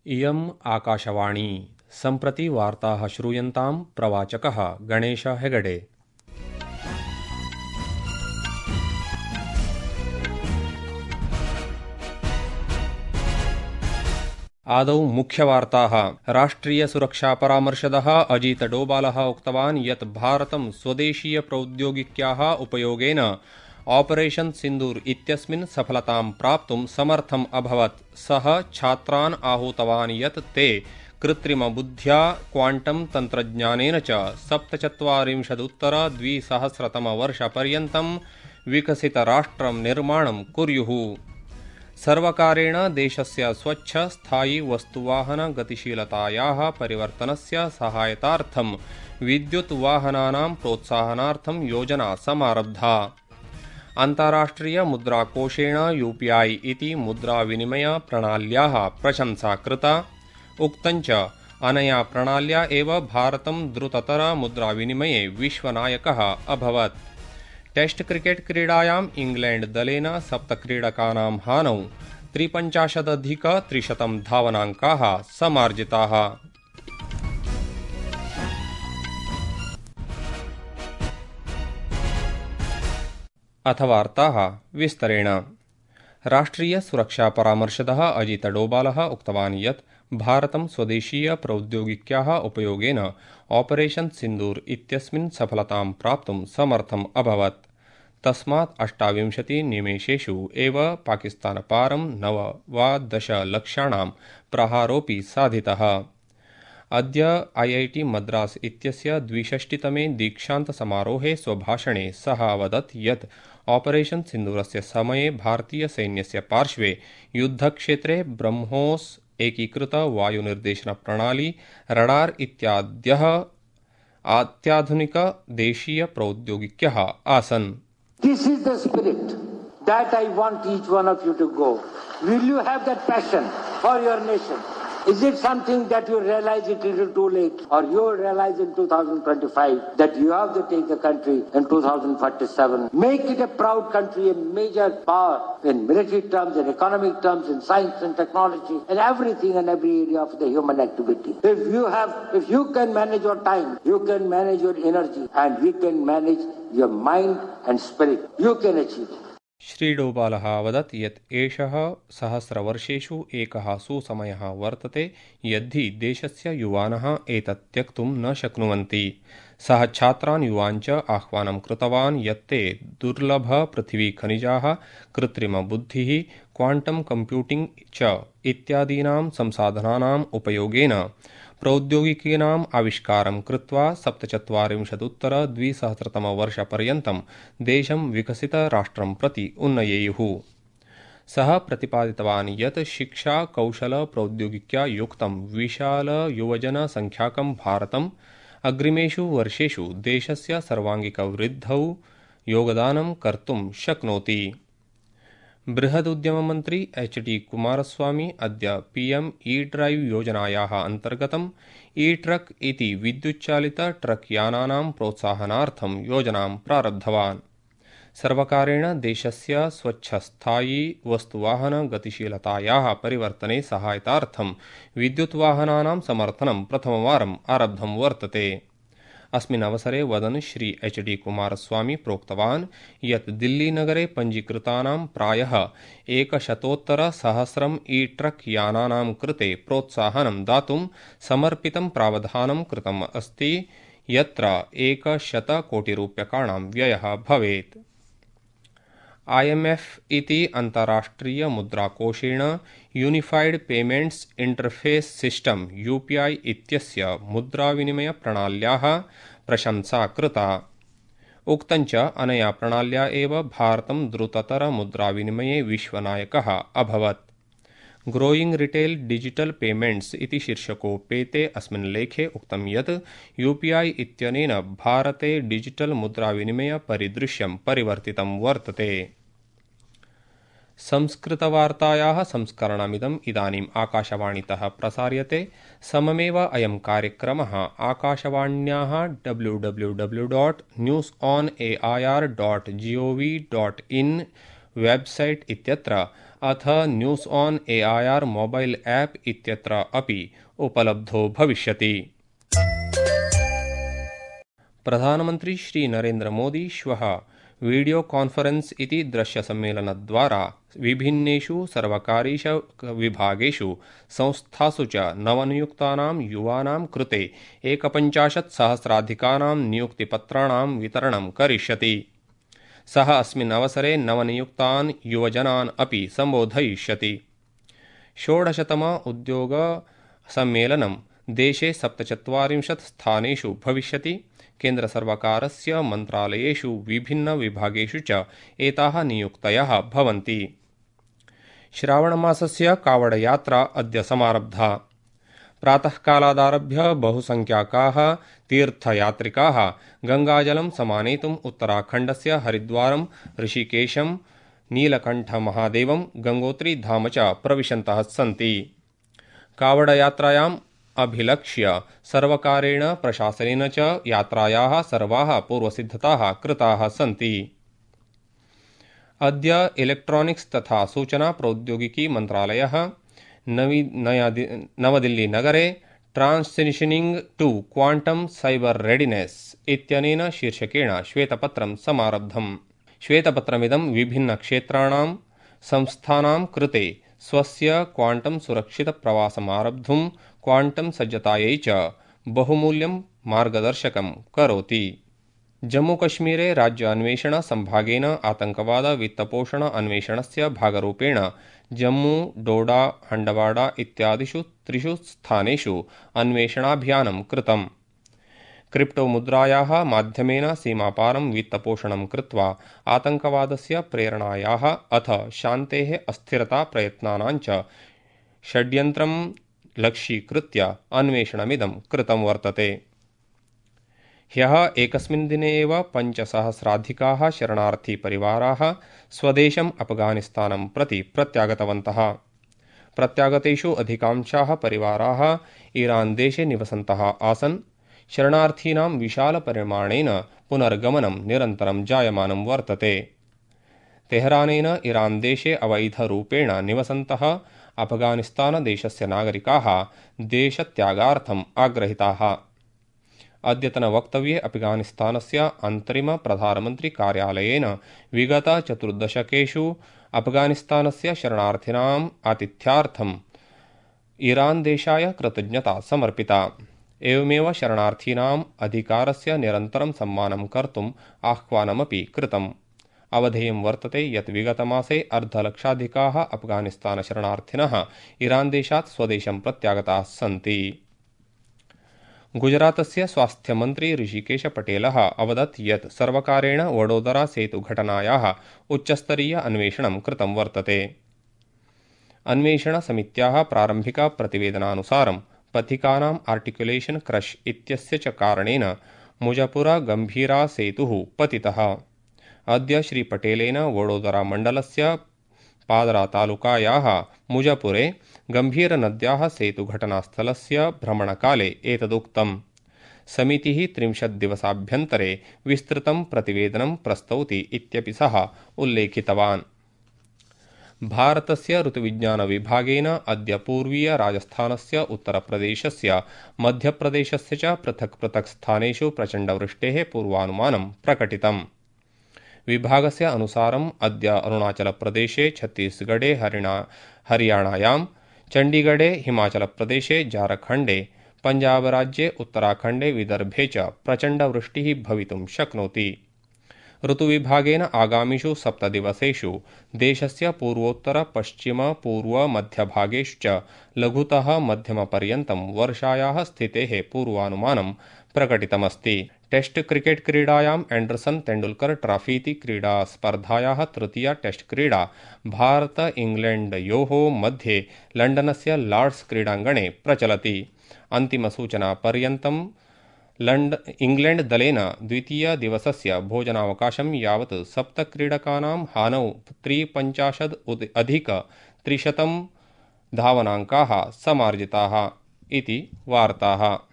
इयम् आकाशवाणी सम्प्रति वार्ताः श्रूयन्तां प्रवाचकः गणेश हेगडे। आदौ मुख्यवार्ताः। राष्ट्रियसुरक्षापरामर्शदः अजीत डोभालः उक्तवान् यत् भारतं स्वदेशीयप्रौद्योगिक्याः उपयोगेन ऑपरेशन सिन्दूर इत्यस्मिन् सफलतां प्राप्तुं समर्थम् अभवत्। सः छात्रान् आहूतवान् यत् ते कृत्रिमबुद्ध्या क्वाण्टम् तन्त्रज्ञानेन च 47-उत्तर-2000तमवर्षपर्यन्तं विकसितराष्ट्रं निर्माणं कुर्युः। सर्वकारेण देशस्य स्वच्छ स्थायी वस्तुवाहन गतिशीलतायाः परिवर्तनस्य सहायतार्थं विद्युत् वाहनानां प्रोत्साहनार्थं योजना समारब्धा। अन्ताराष्ट्रिय मुद्राकोषेण UPI इति मुद्राविनिमय प्रणाल्याः प्रशंसा कृता। उक्तञ्च अनया प्रणाल्या एव भारतं द्रुततर मुद्राविनिमये विश्वनायकः अभवत्। टेस्ट क्रिकेट क्रीडायाम् इंग्लैंड दलेन 7 क्रीडकानां हानौ 53,300 धावनाङ्काः समार्जिताः। अथ वार्ताः विस्तरेण। राष्ट्रियसुरक्षापरामर्शदः अजीत डोभालः उक्तवान् यत् भारतं स्वदेशीयप्रौद्योगिक्याः उपयोगेन ऑपरेशन सिन्दूर इत्यस्मिन् सफलतां प्राप्तुं समर्थम् अभवत्। तस्मात् 28 निमेषेषु एव पाकिस्तानपारं 9 लक्ष्याणां प्रहारोऽपि साधितः। अद्य IIT मद्रास इत्यस्य 62तमे दीक्षान्तसमारोहे स्वभाषणे सः अवदत् यत् ऑपरेशन सिन्दूरस्य समये भारतीयसैन्यस्य पार्श्वे युद्धक्षेत्रे ब्रह्मोस् एकीकृत वायुनिर्देशनप्रणाली रडार इत्याद्यः अत्याधुनिक देशीय प्रौद्योगिक्यः आसन्। This is the spirit that I want each one of you to go. Will you have that passion for your nation? Is it something that you realize it a little too late, or you will realize in 2025 that you have to take the country in 2047? Make it a proud country, a major power in military terms, in economic terms, in science and technology, and everything and every area of the human activity. If you can manage your time, you can manage your energy, and you can manage your mind and spirit, you can achieve it. श्रीडोभालः अवदत् यत् एषः सहस्रवर्षेषु एकः सुसमयः वर्तते यद्धि देशस्य युवानः एतत् त्यक्तुं न शक्नुवन्ति। सः छात्रान् युवान् च आह्वानं कृतवान् यत् ते दुर्लभपृथिवीखनिजाः, कृत्रिमबुद्धिः, क्वाण्टम् कम्प्यूटिंग् च इत्यादीनां संसाधनानाम् उपयोगेन प्रौद्योगिकीनाम् आविष्कारं कृत्वा 47-उत्तर-2000तमवर्षपर्यन्तं देशं विकसितराष्ट्रं प्रति उन्नयेयुः। सः प्रतिपादितवान् यत् शिक्षा कौशल प्रौद्योगिक्या युक्तं विशालयुवजनसङ्ख्याकं भारतम् अग्रिमेषु वर्षेषु देशस्य सर्वाङ्गिकवृद्धौ योगदानं कर्तुं शक्नोति। बृहदुद्यममन्त्री HD कुमारस्वामी अद्य PM E-ड्राइव योजनायाः अन्तर्गतं E-ट्रक इति विद्युच्चालित ट्रक यानानां प्रोत्साहनार्थं योजनां प्रारब्धवान्। सर्वकारेण देशस्य स्वच्छस्थायी वस्तुवाहन गतिशीलतायाः परिवर्तने सहायतार्थं विद्युत्वाहनानां समर्थनं प्रथमवारम् आरब्धं वर्तते। अस्मिन् अवसरे वदन् श्री HD कुमारस्वामी प्रोक्तवान् यत् दिल्लीनगरे पञ्जीकृतानां प्रायः 100 E-ट्रक यानानां कृते प्रोत्साहनं दातुं समर्पितं प्रावधानं कृतम् अस्ति, यत्र 100 कोटिरूप्यकाणां व्ययः भवेत्। IMF इति अन्ताराष्ट्रिय मुद्राकोषेण unified payments interface system UPI इत्यस्य मुद्राविनिमय प्रणाल्याः प्रशंसा कृता। उक्तञ्च अनया प्रणाल्या एव भारतं द्रुततर मुद्राविनिमये विश्वनायकः अभवत्। ग्रोइंग रिटेल डिजिटल पेमेंट्स इति शीर्षकोपेते अस्मिन् लेखे उक्तं यत् UPI इत्यनेन भारते डिजिटल मुद्राविनिमय परिदृश्यं परिवर्तितं वर्तते। संस्कृतवार्तायाः संस्करणमिदम् इदानीम् आकाशवाणीतः प्रसार्यते। सममेव अयं कार्यक्रमः आकाशवाण्याः www.newsonair.gov.in वेबसाइट इत्यत्र अथ news on AIR mobile app इत्यत्र अपि उपलब्धो भविष्यति। प्रधानमन्त्री श्री नरेन्द्र मोदी श्वः वीडियो कॉन्फरेंस इति दृश्यसम्मेलनद्वारा विभिन्नेषु सर्वकारीयेषु विभागेषु संस्थासु च नवनियुक्तानां युवानां कृते 51,000 नियुक्तिपत्राणां वितरणं करिष्यति। सः अस्मिन् अवसरे नवनियुक्तान् युवजनान् अपि सम्बोधयिष्यति। 16तम उद्योग सम्मेलनं देशे 47 स्थानेषु भविष्यति। केन्द्रसर्वकारस्य मन्त्रालयेषु विभिन्नविभागेषु च एताः नियुक्तयः भवन्ति। श्रावणमासस्य कावडयात्रा अद्य समारब्धा। प्रातःकालादारभ्य बहुसंख्याकाः तीर्थयात्रिकाः गंगाजलं समानेतुम् उत्तराखण्डस्य हरिद्वारं, ऋषिकेशं, नीलकण्ठमहादेवं, गंगोत्रीधाम च प्रविशन्तः सन्ति। कावडयात्रायाम् अभिलक्ष्य सर्वकारेण प्रशासनेन च यात्रायाः सर्वाः पूर्वसिद्धताः कृताः सन्ति। अद्य इलेक्ट्रॉनिक्स तथा सूचना प्रौद्योगिकी मन्त्रालयः नवदिल्लीनगरे ट्रांसिशनिंग टू क्वांटम साइबर रेडिनेस इत्यनेन शीर्षकेण श्वेतपत्रं समारब्धम्। श्वेतपत्रमिदं विभिन्नक्षेत्राणां संस्थानां कृते स्वस्य क्वांटम सुरक्षितप्रवासमारब्धुं क्वांटम सज्जतायै च बहुमूल्यं मार्गदर्शकं करोति। जम्मूकश्मीरे राज्य अन्वेषण संभागेन आतंकवाद वित्तपोषण अन्वेषणस्य भागरूपेण जम्मू, डोडा, हंडवाड़ा इत्यादिषु 3 स्थानेषु अन्वेषणाभियानं कृतम्। क्रिप्टोमुद्रायाः माध्यमेन सीमापारं वित्तपोषणं कृत्वा आतंकवादस्य प्रेरणायाः अथ शान्तेः अस्थिरता प्रयत्नानां च षड्यन्त्रं लक्ष्यीकृत्य अन्वेषणमिदं कृतं वर्तते। ह्यः एकस्मिन् दिने एव 5,000 शरणार्थीपरिवाराः स्वदेशम् अफगानिस्तानं प्रति प्रत्यागतवन्तः। प्रत्यागतेषु अधिकांशाः परिवाराः ईरान देशे निवसन्तः आसन्। शरणार्थीनां विशालपरिमाणेन पुनर्गमनं निरन्तरं जायमानं वर्तते। तेहरानेन ईरान देशे अवैधरूपेण निवसन्तः अफगानिस्तानदेशस्य नागरिकाः देशत्यागार्थम् आग्रहिताः। अद्यतनवक्तव्ये अफगानिस्तानस्य अन्तरिमप्रधानमन्त्रिकार्यालयेन विगत 4 दशकेषु अफगानिस्तानस्य शरणार्थिनाम् आतिथ्यार्थम् ईरान देशाय कृतज्ञता समर्पिता। एवमेव शरणार्थीनाम् अधिकारस्य निरन्तरं सम्मानं कर्तुम् आह्वानमपि कृतम्। अवधेयं वर्तते यत् विगतमासे अर्धलक्षाधिकाः अफगानिस्तानशरणार्थिनः ईरान देशात् स्वदेशं प्रत्यागताः सन्ति। गुजरातस्य स्वास्थ्यमन्त्री ऋषिकेश पटेलः अवदत् यत् सर्वकारेण वडोदरा सेतुघटनायाः उच्चस्तरीय अन्वेषणं कृतं वर्तते। अन्वेषणसमित्याः प्रारम्भिकप्रतिवेदनानुसारं पथिकानाम् आर्टिकुलेशन क्रश इत्यस्य च कारणेन मुजपुरा-गम्भीरा सेतुः पतितः। अद्य श्री पटेलेन वडोदरा मण्डलस्य पादरा तालुकायाः मुजपुरे गम्भीरनद्याः सेतुघटनास्थलस्य भ्रमणकाले एतदुक्तम्। समितिः 30 दिवसाभ्यन्तरे विस्तृतं प्रतिवेदनं प्रस्तौति इत्यपि सः उल्लेखितवान्। भारतस्य ऋतुविज्ञानविभागेन अद्य पूर्वीय राजस्थानस्य उत्तरप्रदेशस्य मध्यप्रदेशस्य च पृथक् पृथक् स्थानेषु प्रचण्डवृष्टेः पूर्वानुमानं प्रकटितम्। विभागस्य अनुसारम् अद्य अरुणाचलप्रदेशे, छत्तीसगढ़े, हरियाणायां, चण्डीगढ़े, हिमाचलप्रदेशे, झारखण्डे, पञ्जाबराज्ये, उत्तराखण्डे, विदर्भे च प्रचण्डवृष्टिः भवितुं शक्नोति। ऋतुविभागेन आगामिषु 7 दिवसेषु देशस्य पूर्वोत्तर, पश्चिम, पूर्व, मध्यभागेषु च लघुतः मध्यमपर्यन्तं वर्षायाः स्थितेः पूर्वानुमानं प्रकटितमस्ति। टेस्ट क्रिकेट क्रीडायाम् एंडरसन तेंडुलकर ट्रॉफीति क्रीडास्पर्धायाः तृतीया टेस्ट क्रीडा भारत-इंग्लैण्डयोः मध्ये लण्डनस्य लॉर्ड्स क्रीडाङ्गणे प्रचलति। अन्तिमसूचनापर्यन्तं इंग्लैण्ड दलेन द्वितीयदिवसस्य भोजनावकाशं यावत् 7 क्रीडकानां हानौ 53 अधिक 300 धावनाङ्काः समार्जिताः इति वार्ताः।